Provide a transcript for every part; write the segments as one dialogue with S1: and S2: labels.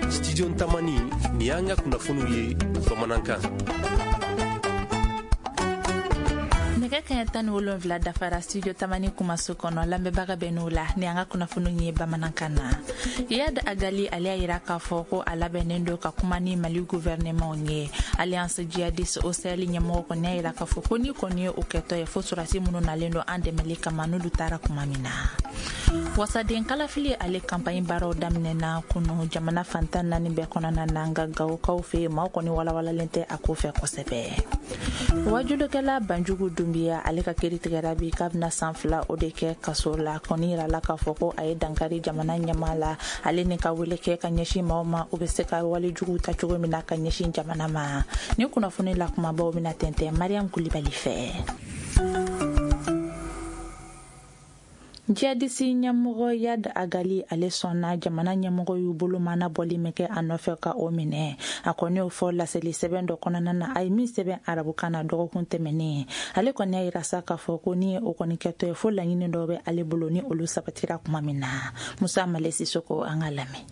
S1: Studio Tamani, nin y'an ka kunnafoniw ye bamanankan.
S2: Nɛgɛ kaɲɛ 17 dafara Studio Tamani kumaso kɔnɔ. Lamɛnbaga bɛ n'o la ni an ka kunnafoniw ye bamanankan na. Iyad Ag Ghali, ale y'a yira k'a fɔ ko a labɛnnen don ka kuma ni Mali gouvernement ye. Alliance djihadiste au Sahel ɲɛmɔgɔ kɔni y'a yira k'a fɔ ko ni kɔni ye o kɛtɔ ye, fo sɔrɔdasi minnu nalen don an dɛmɛli kama, n'olu taara kuma min na. Wasaden kalafili, ale campagne baaraw daminɛna kunu jamana fan 14 bɛɛ kɔnɔna na. Nka Gawokaw fɛ yen, maaw kɔni walawalalen tɛ a ko fɛ kosɛbɛ. Wajulikɛla Banjugu Dunbiya, ale ka kiri tigɛra bi k'a bɛna san 2 o de kɛ kaso la. Kɔni yirala k'a fɔ ko a ye dankari jamana ɲɛmaa la, ale ni ka wele kɛ ka ɲɛsin maaw ma, u bɛ se ka wale juguw ta cogo min na ka ɲɛsin jamana ma. Ni kunnafoni la kumabaw bɛna tɛntɛn Mariam Kulibali fɛ. Jihadisi ɲɛmɔgɔ Iyad Ag Ghali, ale sɔnna jamana ɲɛmɔgɔ y'u bolo mana bɔli min kɛ a nɔfɛ ka o minɛ. A kɔni y'o fɔ laseli sɛbɛn dɔ kɔnɔna na, a ye min sɛbɛn arabukan na dɔgɔkun tɛmɛnen. Ale kɔni y'a yira sa k'a fɔ ko ni ye o kɔni kɛtɔ ye, fo laɲini dɔw bɛ ale bolo, ni olu sabatira kuma min na. Musa Male Sisoko, an ka lamɛn.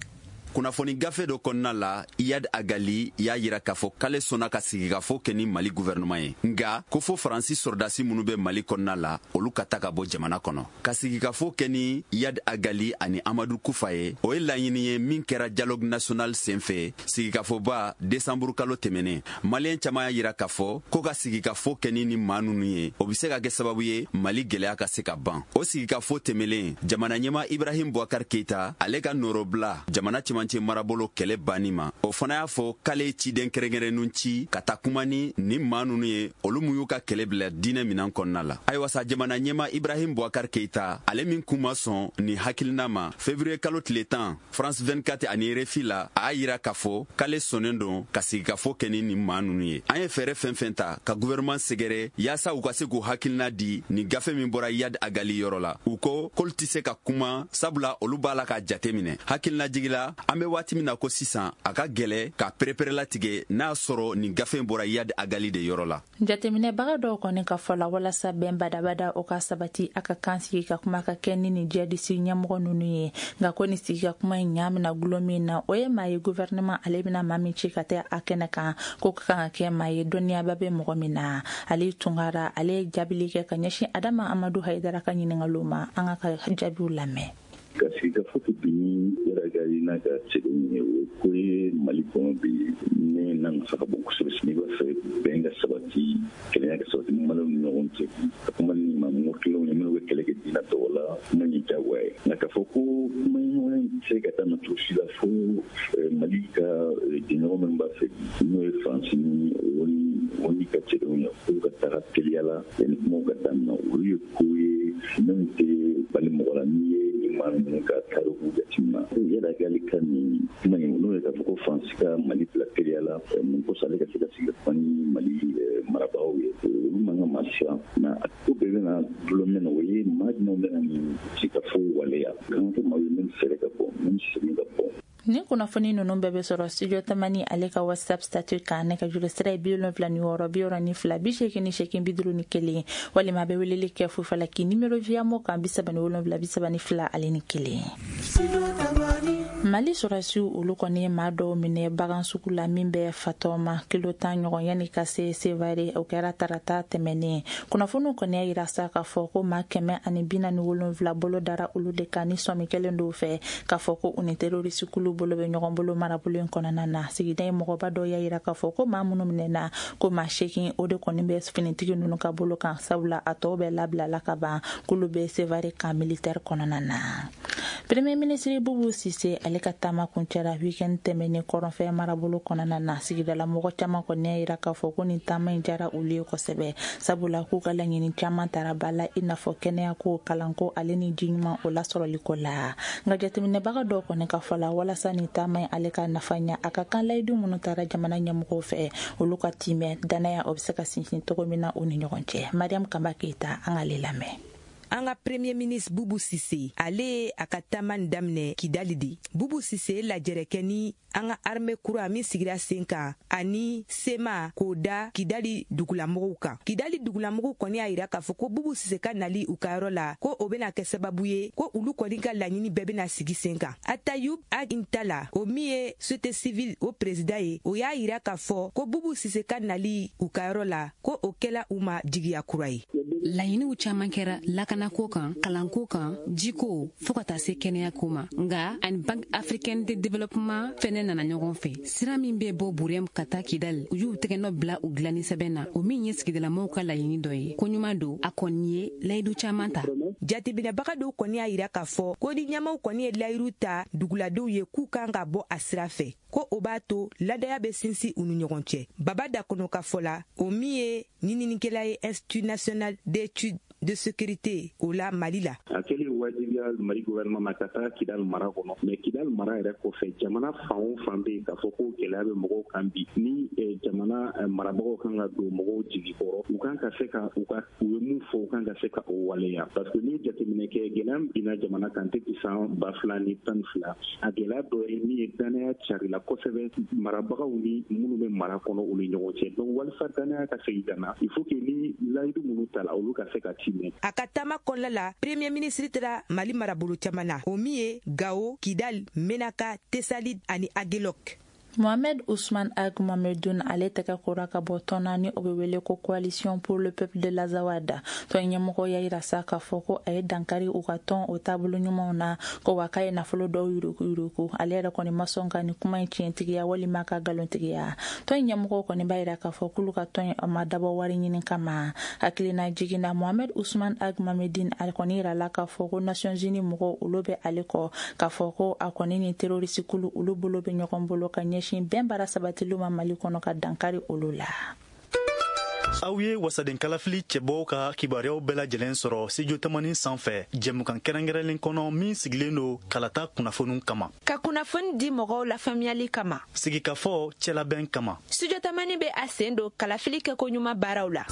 S3: Kunnafoni gafe dɔ kɔnɔna la, Iyad Ag Ghali y'a yira k'a fɔ k'ale sɔnna ka sigikafo kɛ ni Mali guvɛrɛnɛman ye, nga ko fo Faransi sɔrɔdasi minnu bɛ Mali kɔnɔna la, olu ka ta ka bɔ jamana kɔnɔ. Ka sigikafo kɛ ni Iyad Ag Ghali ani Amadu Kufa ye, o ye laɲini ye min kɛra dialogue national sen fɛ, sigikafoba desanburu kalo tɛmɛnen. Maliyɛn caman y'a yira k'a fɔ ko ka sigikafo kɛ ni maa ninnu ye, o be se ka kɛ sababu ye Mali gwɛlɛya ka se ka ban. O sigikafo tɛmɛlen, jamana ɲɛma Ibrahim Boubacar Keita, ale ka nɔrɔbila jamana cɛmancɛ marabolo kɛlɛ banni ma, o fana y'a fɔ k'ale ye ciden kɛrɛnkɛrɛnnenw ci ka taa kuma ni nin maa ninnu ye, olu mun y'u ka kɛlɛ bila diinɛ minan kɔnɔna la. Ayiwa sa, jamana ɲɛma Ibrahim Boubacar Keita, ale min kun ma sɔn nin hakilina ma, février kalo tile 10, France 24 ani RFI la, a y'a yira k'a fɔ k'ale sɔnnen don ka sigikafo kɛ ni nin maa ninnu ye. An ye fɛɛrɛ fɛn fɛn ta ka gouvernement sɛgɛrɛ yaasa u ka se k'u hakilina di nin gafe min bɔra Iyad Ag Ghali yɔrɔ la, u ko k'olu tɛ se ka kuma, sabula olu b'a la k'a jate minɛ. Hakilina jigila, an bɛ waati min na ko sisan, a ka gɛlɛ ka pereperelatigɛ n'a sɔrɔ nin gafe in bɔra Iyad Ag Ghali de yɔrɔ la.
S2: Jateminɛbaga dɔw kɔni ka fɔ la, walasa bɛn badabada o ka sabati, a ka kan sigi ka kuma ka kɛ ni nin jihadisi ɲɛmɔgɔ ninnu ye. Nka ko ni sigi ka kuma in ɲa bɛna gulon min na, o ye maa ye gouvernement ale bɛna maa min ci ka taa a kɛnɛ kan, ko ka kan ka kɛ maa ye dɔnniyaba bɛ mɔgɔ min na. Ale Tunkara, ale ye jaabili kɛ ka ɲɛsin Adama Amadu Hayidara ka ɲininkaliw ma. An ka jaabiw lamɛn.
S4: Ka sigikafo kɛ bi ni Iyad Ag Ghali n'a ka cɛdenw ye, o ye ko ye Mali kɔnɔ bi min n'a nafa ka bon kosɛbɛ. N'i b'a fɛ bɛn ka sabati, kelenya ka sabati Maliw ni ɲɔgɔn cɛ, ka kuma ni maa mɔgɔ ye minnu bɛ kɛlɛ kɛ diinɛ tɔgɔ la, kuma in diyagoya ye. Nka k'a fɔ ko kuma ɲɔgɔnya in tɛ se ka daminɛ cogo si la fo Mali ka jɛɲɔgɔn minnu b'a fɛ, n'o ye Faransi ni ONU ka cɛdenw ye, k'u ka taga teliya la yanni kumaw ka daminɛ, olu ye ko ye min tɛ bali mɔgɔ la n'i ye nin maa ninnu ka tariku jateminɛ. Iyad Ag Ghali ka nin kuma in, n'o ye k'a fɔ ko Faransi ka Mali bila teliya la mun kosɔn ale ka se ka sigi ka kuma ni Mali marabagaw ye, olu man ka maa siran. Nka a ko bɛɛ bɛna dulon min na, o ye maa jumɛn bɛna nin sigikafo waleya kan kɛ maa ye min fɛɛrɛ ka bɔ, min segin ka bɔ.
S2: Ni kunnafoni ninnu bɛɛ bɛ sɔrɔ Studio Tamani ale ka WhatsApp statut kan. Ne ka juru sira ye 76 62 88 51, walima a bɛ weleli kɛ fufalaki numéro Viamo kan 77 32 ale ni 1. Mali sɔrɔsiw, olu kɔni ye maa dɔw minɛ bagan sugu la min bɛ Fatɔma, kilo 10 ɲɔgɔn yanni ka se Sevare. O kɛra tarata tɛmɛnen. Kunnafoniw kɔni y'a yira sa k'a fɔ ko maa 147 bolo dara olu de kan, ni sɔmi kɛlen dɔw fɛ k'a fɔ ko u ni terroriste kulu bolo bɛ ɲɔgɔn bolo marabolo in kɔnɔna na. Sigida in mɔgɔba dɔw y'a yira k'a fɔ ko maa minnu minɛna, ko maa 8 o de kɔni bɛ finitigi ninnu ka bolo kan, sabula a tɔw bɛɛ labilala ka ban, k'olu bɛ Sevare camp militaire kɔnɔna na. Premier ministre Bubu Sise, ale ka taama kuncɛra weekend tɛmɛnen kɔrɔnfɛ marabolo kɔnɔna na. Sigidala mɔgɔ caman kɔni y'a yira k'a fɔ ko nin taama in diyara olu ye kosɛbɛ, sabula k'u ka laɲini caman tara ba la, i n'a fɔ kɛnɛyako, kalanko, ale ni ji ɲuman o lasɔrɔliko la. Nka jateminɛbaga dɔw kɔni ka fɔ la, walasa nin taama in ale ka nafa ɲa, a ka kan layidu minnu taara jamana ɲɛmɔgɔw fɛ, olu ka timɛ, danaya o bɛ se ka sinsin cogo min na u ni ɲɔgɔn cɛ. Mariam Kaba Keyita, an k'ale lamɛn.
S5: An ka Premier ministre Boubou Cissé, ale ye a ka taama nin daminɛ Kidali de. Boubou Cissé ye lajɛrɛ kɛ ni an ka armée kura min sigira sen kan ani CMA k'o da Kidali dugulamɔgɔw kan. Kidali dugulamɔgɔw kɔni y'a yira k'a fɔ ko Boubou Cissé ka nali u ka yɔrɔ la, ko o bɛna kɛ sababu ye ko olu kɔni ka laɲini bɛɛ bɛna sigi sen kan. Atayub Ag Intalla, o min ye société civile o président ye, o y'a yira k'a fɔ ko Boubou Cissé ka nali u ka yɔrɔ la, ko o kɛla u ma jigiya kura ye.
S6: Laɲiniw caman kɛra lakanako kan, kalanko kan, jiko, fɔɔ ka taa se kɛnɛyako ma. Nga ani Banque africaine de développement fɛnɛ nana ɲɔgɔn fɛ. Sira min bɛ bɔ Burem ka taa Kidal, u y'u tɛgɛnɔ bila u dilanni sɛbɛn na, o min ye sigidalamɔgɔw ka laɲini dɔ ye. Ko ɲuman don, a kɔni ye layidu caman ta.
S5: Jateminɛbaga dɔw kɔni y'a yira k'a fɔ ko ni ɲɛmaw kɔni ye layiru ta duguladenw ye k'u kan ka bɔ a sira fɛ, ko o b'a to ladaya bɛ sinsin u ni ɲɔgɔn cɛ. Baba Dakono ka fɔ la, o min ye ɲininikɛla ye Institut national d'études de sécurité o la Mali la.
S7: A kɛlen wajibiya Mali gouvernement ma ka taa Kidal mara kɔnɔ, mais Kidal mara yɛrɛ kɔfɛ, jamana fan o fan bɛ yen k'a fɔ ko gɛlɛya bɛ mɔgɔw kan bi, ni jamana marabagaw kan ka don mɔgɔw jigi kɔrɔ, u kan ka se ka u ka u ye mun fɔ, u kan ka se ka o waleya, parce que n'i ye jateminɛ kɛ, gɛlɛya min binna jamana kan depuis san 2012, a gɛlɛya dɔ ye min ye, danaya carila kosɛbɛ marabagaw ni minnu bɛ mara kɔnɔ, u ni ɲɔgɔn cɛ. Donc walasa danaya ka segin ka na, il faut que ni layidu minnu tala, olu ka se ka timɛ.
S5: A ka taama kɔnɔna la, Premier ministre taara Mali marabolo caman na, o min ye Gao, Kidal, Menaka, Tessalit ani Aguelhok.
S2: Mohamed Ousmane Ag Mohamedoun, ale tɛgɛ kora ka bɔ tɔn na ni o bɛ wele ko Coalition pour le peuple de l'Azawad. Tɔn ɲɛmɔgɔ y'a yira sa k'a fɔ ko a ye dankari u ka tɔn o taabolo ɲumanw na, ko wa k'a ye nafolo dɔw yuruku yuruku. Ale yɛrɛ kɔni ma sɔn ka nin kuma in tiɲɛtigiya walima ka nkalontigiya. Tɔn ɲɛmɔgɔw kɔni b'a yira k'a fɔ k'olu ka tɔn a ma dabɔ wari ɲini kama. Hakilina jiginna, Mohamed Ousmane Ag Mohamedine, ale kɔni yirala k'a fɔ ko Nations Unies mɔgɔw, olu bɛ ale kɔ, k'a fɔ ko a kɔni ni terroriste kulu, olu bolo bɛ ɲɔgɔn bolo ka ɲɛsin bɛn baara sabatiliw ma Mali kɔnɔ, ka dankari olu la.
S8: Aw ye wasaden kalafili cɛbɔw ka kibaruyaw bɛɛ lajɛlen sɔrɔ Studio Tamani sanfɛ, jɛmukan kɛrɛnkɛrɛnlen kɔnɔ min sigilen don kalata kunnafoniw kama.
S9: Ka kunnafoni di mɔgɔw lafaamuyali kama.
S8: Sigikafɔ cɛlabɛn kama.
S9: Studio Tamani bɛ a sen don kalafili kɛko ɲuman baaraw la.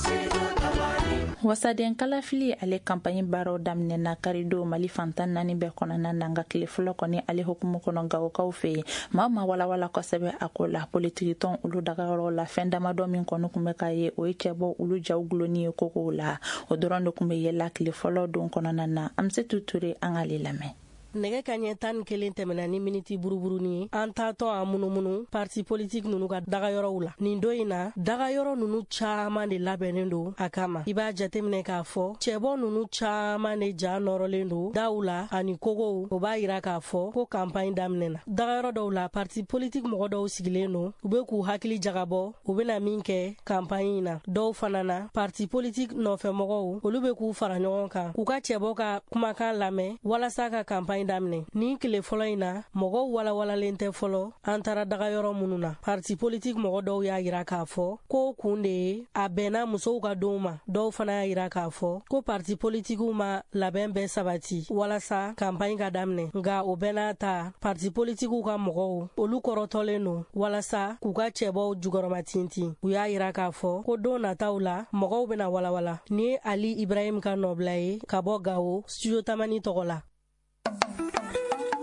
S2: Wasaden kalafili, ale campagne baaraw daminɛna karidon Mali fantan naani bɛɛ kɔnɔna na. Nka tile fɔlɔ kɔni, ale hukumu kɔnɔ, Gawokaw fɛ yen, maa ma walawala kosɛbɛ a ko la. Politikitɔn olu dagayɔrɔ la, fɛn damadɔ min kɔni tun bɛ ka ye, o ye cɛbɔ olu jaw gulonni ye kogow la. O dɔrɔn de tun bɛ yɛlɛ tile fɔlɔ don kɔnɔna na. An bɛ se Ture, an k'ale lamɛn.
S10: Nɛgɛ ka ɲɛ 11 tɛmɛna ni miniti buruburuni ye, an taatɔ an munumunu parti politique nunu ka dagayɔrɔw la. Nin don in na, dagayɔrɔ nunu caaman de labɛnnen don a kama. I b'a jateminɛ k'a fɔ cɛbɔ nunu caaman de ja nɔrɔlen don daw la ani kogow. O b'a yira k'a fɔ ko campagne daminɛna. Dagayɔrɔ dɔw la, parti politique mɔgɔ dɔw sigilen don, u be k'u hakili jagabɔ u bena min kɛ campagne in na. Dɔw fana na, parti politique nɔfɛmɔgɔw, olu be k'u fara ɲɔgɔn kan k'u ka cɛbɔ ka kumakan lamɛn walasa ka campagne daminɛ. Nin tile fɔlɔ in na, mɔgɔw walawalalen tɛ fɔlɔ. An taara dagayɔrɔ minnu na, parti politique mɔgɔ dɔw y'a yira k'a fɔ ko kun de ye a bɛnna musow ka donw ma. Dɔw fana y'a yira k'a fɔ ko parti politikiw ma labɛn bɛɛ sabati walasa campagne ka daminɛ. Nka o bɛɛ n'a ta, parti politikiw ka mɔgɔw, olu kɔrɔtɔlen don walasa k'u ka cɛbɔw jukɔrɔma tintin. U y'a yira k'a fɔ ko don nataw la, mɔgɔw bɛna walawala. Nin ye Ali Ibrahim ka nɔbila ye ka bɔ Gawo, Studio Tamani tɔgɔ la.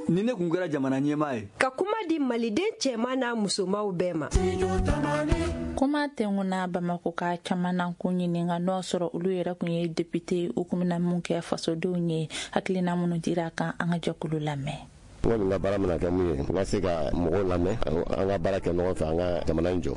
S11: Ni ne kun kɛra jamana ɲɛmaa ye,
S12: ka kuma di Maliden cɛman n'a musomaw bɛɛ ma.
S2: Kuma tɛnkuna Bamako ka caman na kun ɲininka n'o sɔrɔ olu yɛrɛ kun ye député, u kun bɛna mun kɛ fasodenw ye. Hakilina minnu dira kan, an ka jɛkulu lamɛn.
S13: N kɔni ka baara mana kɛ mun ye, n ka se ka mɔgɔw lamɛn, an ka baara kɛ ɲɔgɔn fɛ, an ka jamana in jɔ.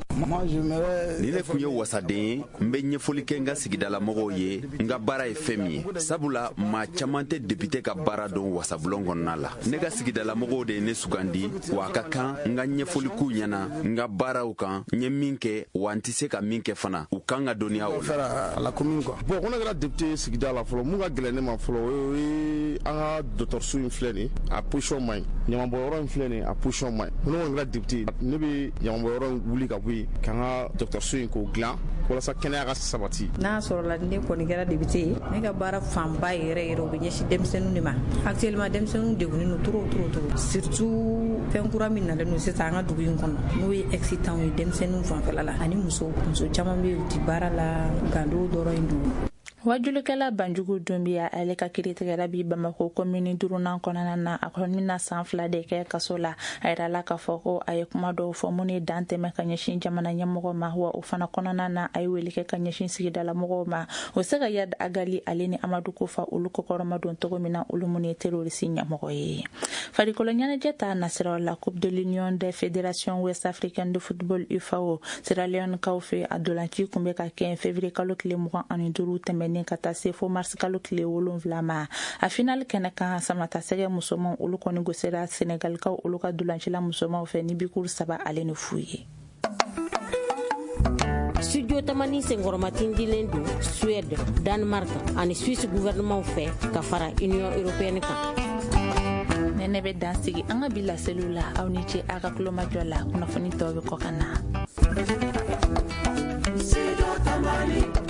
S3: Ni ne kun ye wasaden ye, n bɛ ɲɛfɔli kɛ n ka sigidalamɔgɔw ye n ka baara ye fɛn min ye, sabula maa caman tɛ député ka baara dɔn wasabulon kɔnɔna la. Ne ka sigidalamɔgɔw de ye ne sugandi, wa a ka kan n ka ɲɛfɔli k'u ɲɛna n ka baaraw kan, n ye min kɛ, wa n tɛ se ka min kɛ fana, u kan ka dɔnniya o
S14: la. Bon, ko ne kɛra député sigida la fɔlɔ, mun ka gɛlɛn ne ma fɔlɔ, o ye an ka dɔgɔtɔrɔso in filɛ nin, a position man ɲi. Ɲamanbɔyɔrɔ in filɛ nin, a position man ɲi. Ne kɔni kɛra député, ne bɛ ɲamanbɔyɔrɔ in wuli ka bɔ yen, k'an ka dɔgɔtɔrɔso in k'o dilan walasa kɛnɛya ka sabati.
S15: N'a sɔrɔla ne kɔni kɛra député ye, ne ka baara fanba yɛrɛ yɛrɛ, o bɛ ɲɛsin denmisɛnninw de ma. Actuellement, denmisɛnninw degunnen don trop trop trop, surtout fɛn kura min nalen don sisan an ka dugu in kɔnɔ, n'o ye excitant ye denmisɛnninw fanfɛla la, ani muso. Muso caman bɛ yen, u ti baara la, gando dɔrɔn in don.
S2: Wajulikɛla Banjugu Dunbiya, ale ka kiri tigɛra bi Bamako komini duurunan kɔnɔna na. A kɔni bɛna san 2 de kɛ kaso la. A yirala k'a fɔ ko a ye kuma dɔw fɔ minnu ye dan tɛmɛ ka ɲɛsin jamana ɲɛmɔgɔ ma, wa o fana kɔnɔna na, a ye wele kɛ ka ɲɛsin sigidala mɔgɔw ma o se ka Iyad Ag Ghali ale ni Amadu Kofa olu kɔkɔrɔma don cogo min na, olu minnu ye terroriste ɲɛmɔgɔ ye. Farikolo ɲɛnajɛ ta nasiraw la, Coupe de l'Union des Fédérations Ouest Africaines de Football, UFAO, Sierra Leone kaw fɛ, a dolanci kun bɛ ka kɛ février kalo tile 25 tɛmɛnen ka taa se fo mars kalo tile 7 ma. A final kɛnɛ kan, samatasɛgɛ musomanw, olu kɔni gosira Senegalikaw olu ka dolancila musomanw fɛ ni bikuru 3-0 ye.
S16: Studio Tamani senkɔrɔmatindilen don Suède, Danemark ani Suisse gouvernement fɛ ka fara Union européenne kan.
S2: Nɛnɛ bɛ dan sigi an ka bi laseliw la. Aw ni ce a ka kulomajɔ la. Kunnafoni tɔw bɛ kɔ ka na.
S17: Studio Tamani.